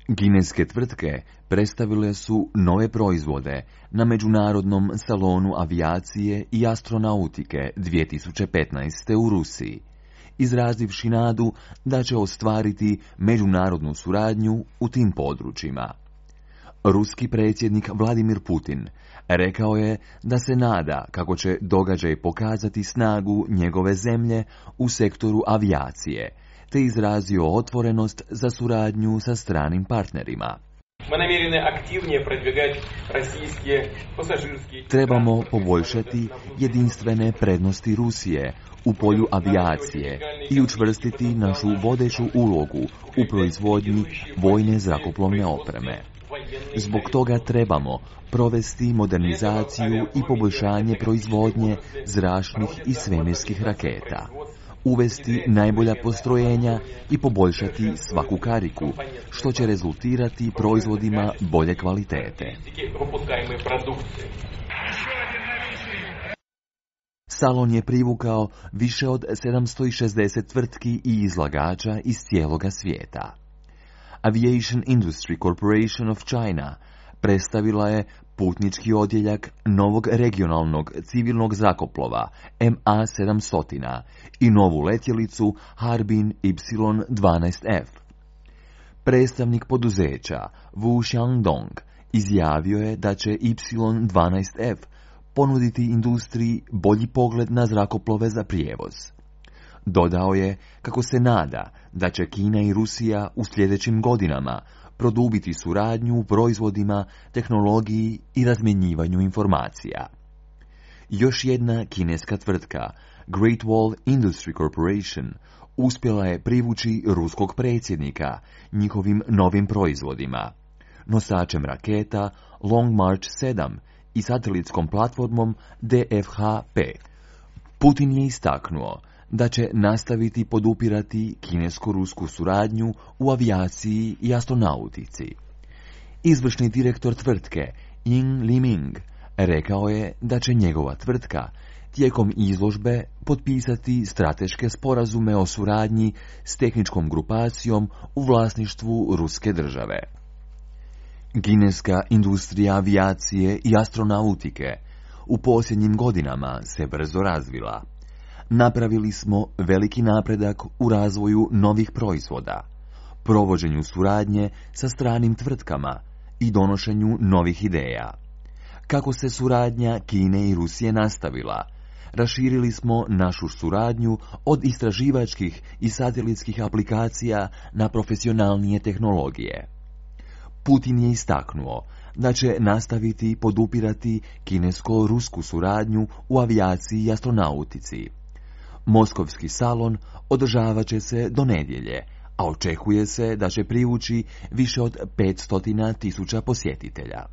Kineske tvrtke predstavile su nove proizvode na Međunarodnom salonu avijacije i astronautike 2015. u Rusiji, izrazivši nadu da će ostvariti međunarodnu suradnju u tim područjima. Ruski predsjednik Vladimir Putin rekao je da se nada kako će događaj pokazati snagu njegove zemlje u sektoru avijacije, te izrazio otvorenost za suradnju sa stranim partnerima. Trebamo poboljšati jedinstvene prednosti Rusije u polju avijacije i učvrstiti našu vodeću ulogu u proizvodnji vojne zrakoplovne opreme. Zbog toga trebamo provesti modernizaciju i poboljšanje proizvodnje zračnih i svemirskih raketa, uvesti najbolja postrojenja i poboljšati svaku kariku, što će rezultirati proizvodima bolje kvalitete. Salon je privukao više od 760 tvrtki i izlagača iz cijeloga svijeta. Aviation Industry Corporation of China predstavila je putnički odjeljak novog regionalnog civilnog zrakoplova MA-700 i novu letjelicu Harbin Y-12F. Predstavnik poduzeća Wu Xiangdong izjavio je da će Y-12F ponuditi industriji bolji pogled na zrakoplove za prijevoz. Dodao je kako se nada da će Kina i Rusija u sljedećim godinama produbiti suradnju u proizvodima, tehnologiji i razmjenjivanju informacija. Još jedna kineska tvrtka, Great Wall Industry Corporation, uspjela je privući ruskog predsjednika njihovim novim proizvodima, nosačem raketa Long March 7 i satelitskom platformom DFH-5. Putin je istaknuo da će nastaviti podupirati kinesko-rusku suradnju u avijaciji i astronautici. Izvršni direktor tvrtke Ying Liming rekao je da će njegova tvrtka tijekom izložbe potpisati strateške sporazume o suradnji s tehničkom grupacijom u vlasništvu ruske države. Kineska industrija avijacije i astronautike u posljednjim godinama se brzo razvila. Napravili smo veliki napredak u razvoju novih proizvoda, provođenju suradnje sa stranim tvrtkama i donošenju novih ideja. Kako se suradnja Kine i Rusije nastavila, raširili smo našu suradnju od istraživačkih i satelitskih aplikacija na profesionalnije tehnologije. Putin je istaknuo da će nastaviti podupirati kinesko-rusku suradnju u avijaciji i astronautici. Moskovski salon održavat će se do nedjelje, a očekuje se da će privući više od 500.000 posjetitelja.